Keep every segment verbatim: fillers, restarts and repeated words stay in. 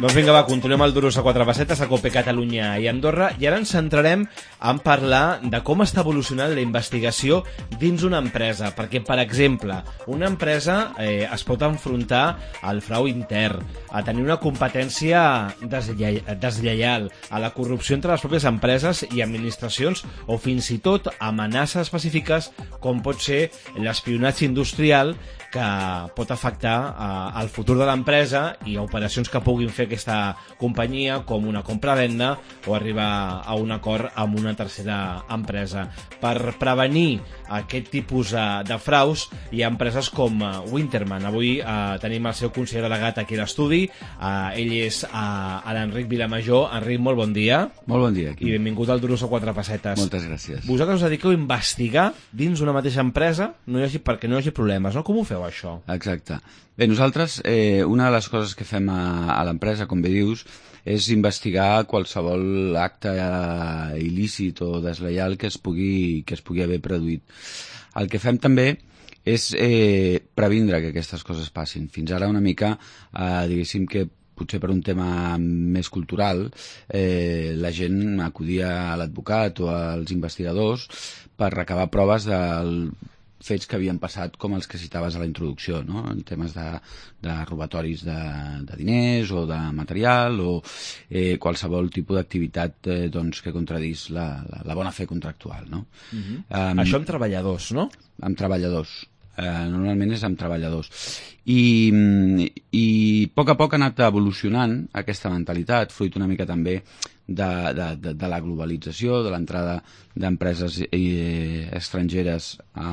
Doncs vinga, va, continuem el Duros a quatre pessetes a Cope Catalunya i Andorra, i ara ens centrarem en parlar de com està evolucionant la investigació dins una empresa, perquè, per exemple, una empresa eh, es pot enfrontar al frau intern, a tenir una competència deslle deslleial, a la corrupció entre les pròpies empreses i administracions, o fins i tot amenaces específiques com pot ser l'espionatge industrial, que pot afectar eh, el futur de l'empresa i operacions que puguin fer aquesta companyia, com una compra-venda o arribar a un acord amb una tercera empresa. Per prevenir aquest tipus de, de fraus hi ha empreses com uh, Winterman. Avui uh, tenim el seu conseller delegat aquí a l'estudi, uh, ell és uh, l'Enric Vilamajor. Enric, molt bon dia. Molt bon dia. I benvingut al Duros a quatre pessetes. Moltes gràcies. Vosaltres us dediqueu a investigar dins una mateixa empresa no hi hagi, perquè no hi hagi problemes, no? Com ho feu, això? Exacte. Bé, nosaltres, eh, una de les coses que fem a, a l'empresa, com bé dius, és investigar qualsevol acte eh, il·lícit o desleial que es pugui, que es pugui haver produït. El que fem també és eh, previndre que aquestes coses passin. Fins ara una mica, eh, diguéssim que potser per un tema més cultural, eh, la gent acudia a l'advocat o als investigadors per recabar proves del fets que havien passat com els que citaves a la introducció, no? En temes de, de robatoris de, de diners o de material o eh, qualsevol tipus d'activitat eh, doncs, que contradís la, la, la bona fe contractual, no? Uh-huh. um, Això amb treballadors, no? Amb treballadors. Eh, normalment és amb treballadors. I, i a poc a poc ha anat evolucionant aquesta mentalitat, fruit una mica també de, de, de, de la globalització, de l'entrada d'empreses eh, estrangeres a,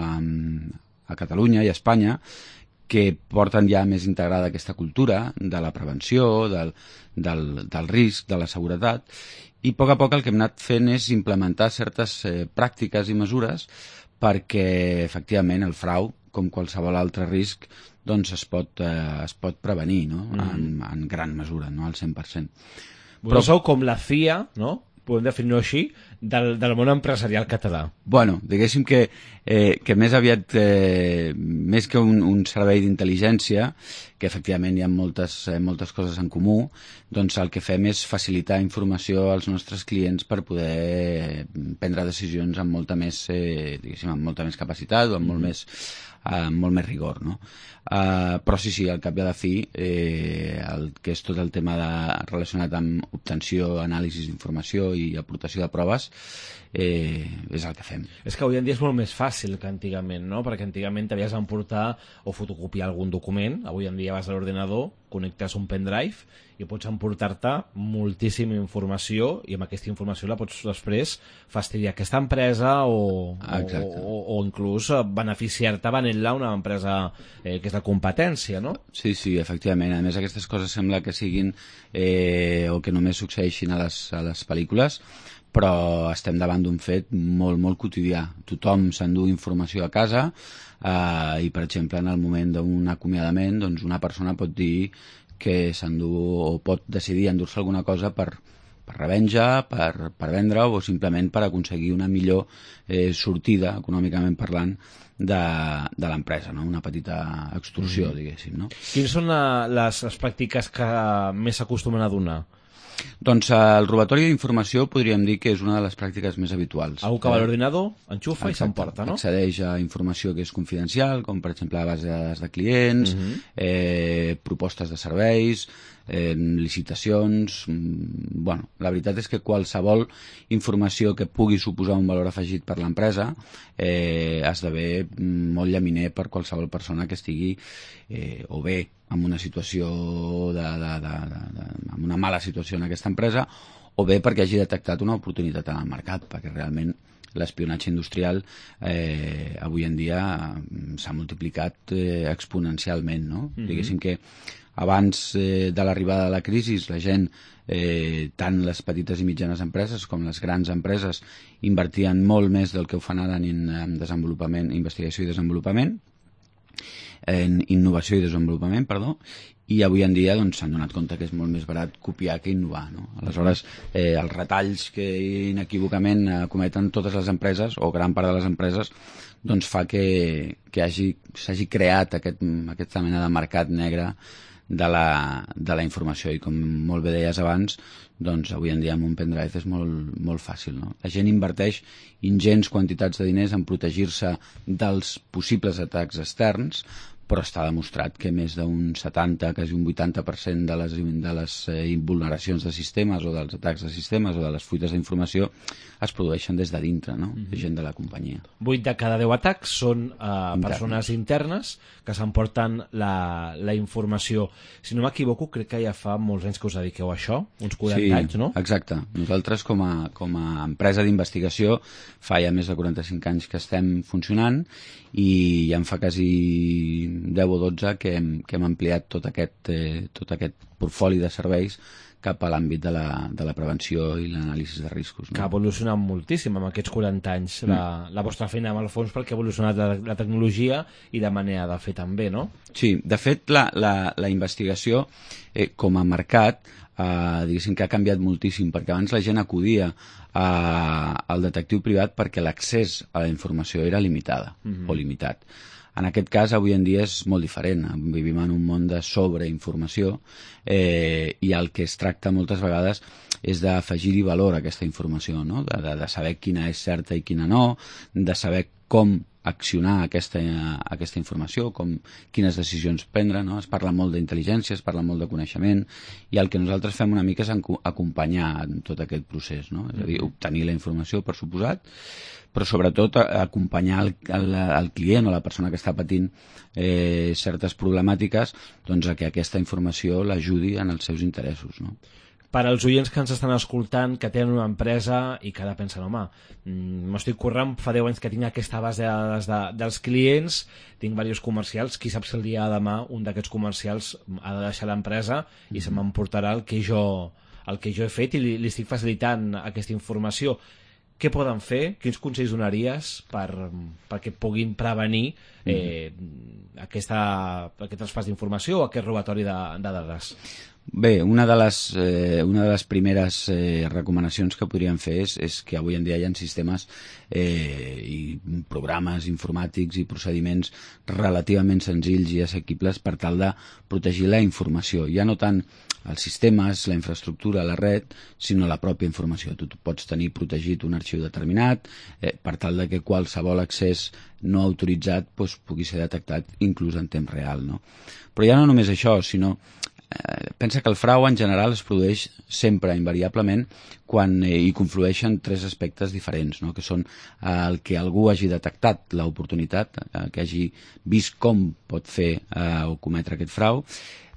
a Catalunya i a Espanya, que porten ja més integrada aquesta cultura de la prevenció, del, del, del risc, de la seguretat, i a poc a poc el que hem anat fent és implementar certes eh, pràctiques i mesures perquè efectivament el frau, com qualsevol altre risc, doncs es pot, eh, es pot prevenir, no? Mm. en, en gran mesura, no al cent per cent. Però sou com la C I A, no? Podem definir-ho així, del, del món empresarial català. Bueno, diguéssim que, eh, que més aviat, eh, més que un, un servei d'intel·ligència, que efectivament hi ha moltes, eh, moltes coses en comú, doncs el que fem és facilitar informació als nostres clients per poder prendre decisions amb molta més, eh, diguéssim, amb molta més capacitat o amb molt més Uh, molt més rigor, no? Uh, però sí, sí, al cap i a la fi, eh, el que és tot el tema de, relacionat amb obtenció, anàlisi d'informació i aportació de proves, eh, és el que fem. És que avui en dia és molt més fàcil que antigament, no? Perquè antigament t'havies d'emportar o fotocopiar algun document, avui en dia vas a l'ordinador, connectes un pendrive i pots emportar-te moltíssima informació i amb aquesta informació la pots després fastidiar aquesta empresa o, o, o, o inclús beneficiar-te venent-la a una empresa eh, que és de competència, no? Sí, sí, efectivament. A més, aquestes coses sembla que siguin eh, o que només succeeixin a les, a les pel·lícules, però estem davant d'un fet molt, molt quotidià. Tothom s'endú informació a casa eh, i, per exemple, en el moment d'un acomiadament, doncs una persona pot dir que s'endú o pot decidir endur-se alguna cosa per, per revenja, per, per vendre o simplement per aconseguir una millor eh, sortida, econòmicament parlant, de, de l'empresa, no? Una petita extorsió, mm. diguéssim, no? Quines són la, les, les pràctiques que més s'acostumen a donar? Doncs el robatori d'informació podríem dir que és una de les pràctiques més habituals. Algú que va a l'ordinador, enxufa Exacte. I s'emporta, no? Accedeix a informació que és confidencial, com per exemple la base de dades de clients, uh-huh. eh, propostes de serveis, eh, licitacions... Bueno, la veritat és que qualsevol informació que pugui suposar un valor afegit per l'empresa eh, esdevé molt llaminer per qualsevol persona que estigui eh, o bé en una situació de, de, de, de, de, en una mala situació en aquesta empresa o bé perquè hagi detectat una oportunitat en el mercat, perquè realment l'espionatge industrial eh, avui en dia s'ha multiplicat eh, exponencialment, no? Mm-hmm. Diguéssim que abans eh, de l'arribada de la crisi la gent, eh, tant les petites i mitjanes empreses com les grans empreses invertien molt més del que ho fan ara en, en desenvolupament, investigació i desenvolupament, en innovació i desenvolupament, perdó, i avui en dia doncs, s'han donat compte que és molt més barat copiar que innovar, no? Aleshores, eh, els retalls que inequívocament eh, cometen totes les empreses, o gran part de les empreses, doncs fa que, que hagi, s'hagi creat aquest, aquesta mena de mercat negre de la, de la informació. I com molt bé deies abans, doncs avui en dia amb un pendrive és molt, molt fàcil, no? La gent inverteix ingents quantitats de diners en protegir-se dels possibles atacs externs, però està demostrat que més d'un setanta, quasi un vuitanta per cent de les, de les eh, vulneracions de sistemes o dels atacs de sistemes o de les fuites d'informació es produeixen des de dintre, no? De gent de la companyia. vuit de cada deu atacs són eh, persones internes que s'emporten la, la informació. Si no m'equivoco, crec que ja fa molts anys que us dediqueu a això, uns quaranta sí, anys, no? Exacte. Nosaltres, com a, com a empresa d'investigació, fa ja més de quaranta-cinc anys que estem funcionant i ja en fa quasi deu o dotze que hem, que hem ampliat tot aquest, eh, tot aquest portfoli de serveis cap a l'àmbit de, la, de la prevenció i l'anàlisi de riscos. No? Que ha evolucionat moltíssim en aquests quaranta anys mm. la, la vostra feina amb el fons, perquè ha evolucionat la, la tecnologia i la manera de fer també, no? Sí, de fet la, la, la investigació eh, com a mercat eh, diguéssim que ha canviat moltíssim, perquè abans la gent acudia a, al detectiu privat perquè l'accés a la informació era limitada mm-hmm. o limitat. En aquest cas, avui en dia és molt diferent. Vivim en un món de sobreinformació eh, i el que es tracta moltes vegades és d'afegir-hi valor a aquesta informació, no? de, de, de saber quina és certa i quina no, de saber com accionar aquesta, aquesta informació, com, quines decisions prendre. No? Es parla molt d'intel·ligència, es parla molt de coneixement, i el que nosaltres fem una mica és acompanyar en tot aquest procés. No? És a dir, obtenir la informació, per suposat, però sobretot acompanyar el, el, el client o la persona que està patint eh, certes problemàtiques, doncs, a que aquesta informació l'ajudi en els seus interessos. No? Per als oients que ens estan escoltant, que tenen una empresa i que ara pensen, home, m'estic currant, fa deu anys que tinc aquesta base de dades de, dels clients, tinc diversos comercials, qui sap si el dia de demà un d'aquests comercials ha de deixar l'empresa i se m'emportarà el que jo el que jo he fet i li, li estic facilitant aquesta informació. Què poden fer? Quins consells donaries per, perquè puguin prevenir eh, mm. aquesta, aquest traspàs d'informació o aquest robatori de, de dades? Bé, una de les, eh, una de les primeres eh, recomanacions que podríem fer és, és que avui en dia hi ha sistemes eh, i programes informàtics i procediments relativament senzills i assequibles per tal de protegir la informació. Ja no tant els sistemes, la infraestructura, la red, sinó la pròpia informació. Tu pots tenir protegit un arxiu determinat eh, per tal de que qualsevol accés no autoritzat doncs, pugui ser detectat inclús en temps real. No? Però ja no només això, sinó eh, pensa que el frau en general es produeix sempre, invariablement, quan eh, hi conflueixen tres aspectes diferents, no? Que són eh, el que algú hagi detectat l'oportunitat, eh, que hagi vist com pot fer eh, o cometre aquest frau.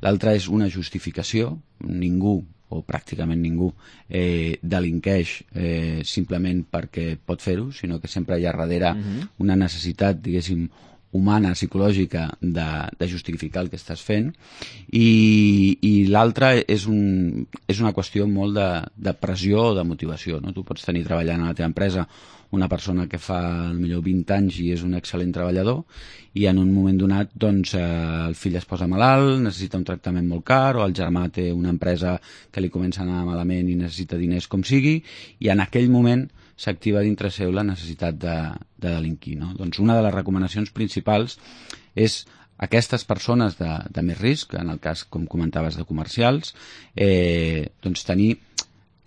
L'altre és una justificació. Ningú, o pràcticament ningú, eh, delinqueix eh, simplement perquè pot fer-ho, sinó que sempre hi ha darrere uh-huh. una necessitat, diguéssim, humana, psicològica, de, de justificar el que estàs fent. I, i l'altre és, un, és una qüestió molt de, de pressió o de motivació. No? Tu pots tenir treballant a la teva empresa una persona que fa potser vint anys i és un excel·lent treballador i en un moment donat doncs, eh, el fill es posa malalt, necessita un tractament molt car, o el germà té una empresa que li comença a anar malament i necessita diners com sigui, i en aquell moment s'activa dintre seu la necessitat de, de delinquir. No? Doncs una de les recomanacions principals és aquestes persones de, de més risc, en el cas, com comentaves, de comercials, eh, doncs tenir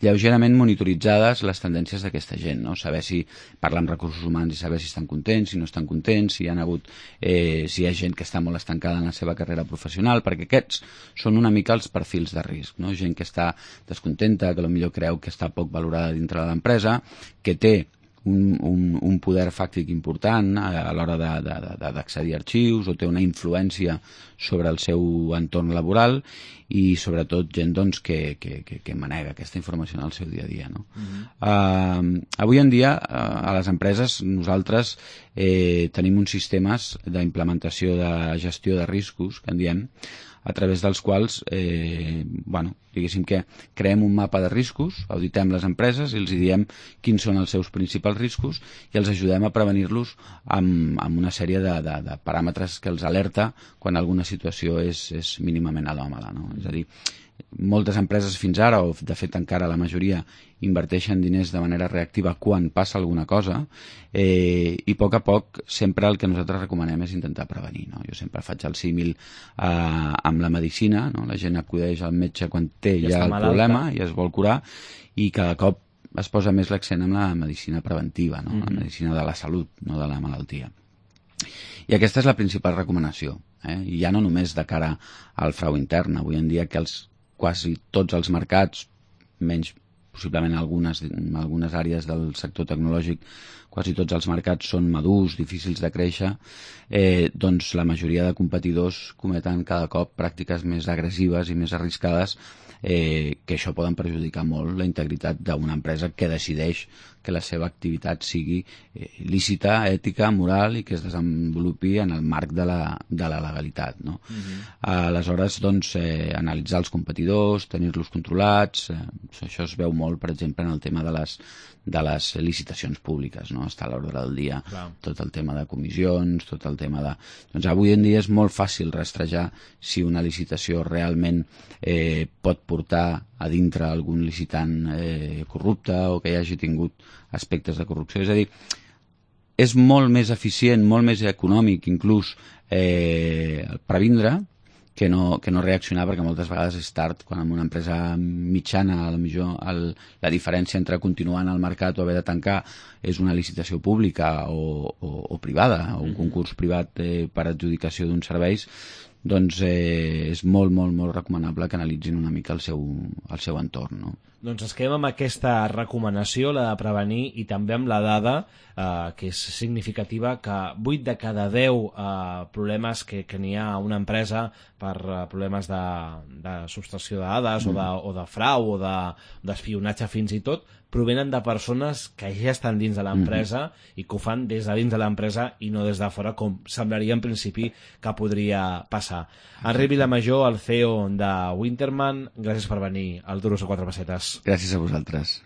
lleugerament monitoritzades les tendències d'aquesta gent, no? Saber si parlar amb recursos humans i saber si estan contents, si no estan contents, si hi ha hagut, eh, si hi ha gent que està molt estancada en la seva carrera professional, perquè aquests són una mica els perfils de risc, no? Gent que està descontenta, que potser creu que està poc valorada dintre de l'empresa, que té un, un, un poder fàctic important a, a l'hora d'accedir a arxius o té una influència sobre el seu entorn laboral i sobretot gent doncs, que, que, que, que manega aquesta informació en el seu dia a dia. No? Uh-huh. uh, avui en dia uh, a les empreses nosaltres eh, tenim uns sistemes d'implementació de gestió de riscos, que en diem, a través dels quals eh, bueno, diguéssim que creem un mapa de riscos, auditem les empreses i els diem quins són els seus principals riscos i els ajudem a prevenir-los amb, amb una sèrie de, de, de paràmetres que els alerta quan alguna situació és, és mínimament anòmala. No? És a dir, moltes empreses fins ara, o de fet encara la majoria, inverteixen diners de manera reactiva quan passa alguna cosa, eh, i a poc a poc sempre el que nosaltres recomanem és intentar prevenir, no? Jo sempre faig el símil eh, amb la medicina, no? La gent acudeix al metge quan té ja, ja el malalta. problema i es vol curar, i cada cop es posa més l'accent en la medicina preventiva, no? Mm-hmm. La medicina de la salut, no de la malaltia. I aquesta és la principal recomanació, eh? I ja no només de cara al frau intern. Avui en dia que els, quasi tots els mercats, menys possiblement algunes, algunes àrees del sector tecnològic, quasi tots els mercats són madurs, difícils de créixer, eh, doncs la majoria de competidors cometen cada cop pràctiques més agressives i més arriscades, eh, que això poden perjudicar molt la integritat d'una empresa que decideix que la seva activitat sigui eh, lícita, ètica, moral i que es desenvolupi en el marc de la, de la legalitat, no? Uh-huh. Aleshores, doncs, eh, analitzar els competidors, tenir-los controlats, eh, això es veu molt, per exemple, en el tema de les, de les licitacions públiques, no? Està a l'ordre del dia. Clar. Tot el tema de comissions, tot el tema de... Doncs avui en dia és molt fàcil rastrejar si una licitació realment eh, pot portar a dintre algun licitant eh, corrupte o que hi hagi tingut aspectes de corrupció. És a dir, és molt més eficient, molt més econòmic inclús eh, previndre que no, que no reaccionar, perquè moltes vegades és tard, quan en una empresa mitjana a la, millor, el, la diferència entre continuar en el mercat o haver de tancar és una licitació pública o, o, o privada, o un concurs privat eh, per adjudicació d'uns serveis, doncs eh, és molt, molt, molt recomanable que analitzin una mica el seu, el seu entorn, no? Doncs es quedem amb aquesta recomanació, la de prevenir, i també amb la dada, eh, que és significativa, que vuit de cada deu eh, problemes que, que n'hi ha a una empresa per eh, problemes de, de subtracció de dades mm. o, de, o de frau o d'espionatge de, fins i tot, provenen de persones que ja estan dins de l'empresa mm-hmm. i que ho fan des de dins de l'empresa i no des de fora, com semblaria en principi que podria passar. Enric Vilamajor, el C E O de Winterman, gràcies per venir al Duros a quatre pessetes. Gràcies a vosaltres.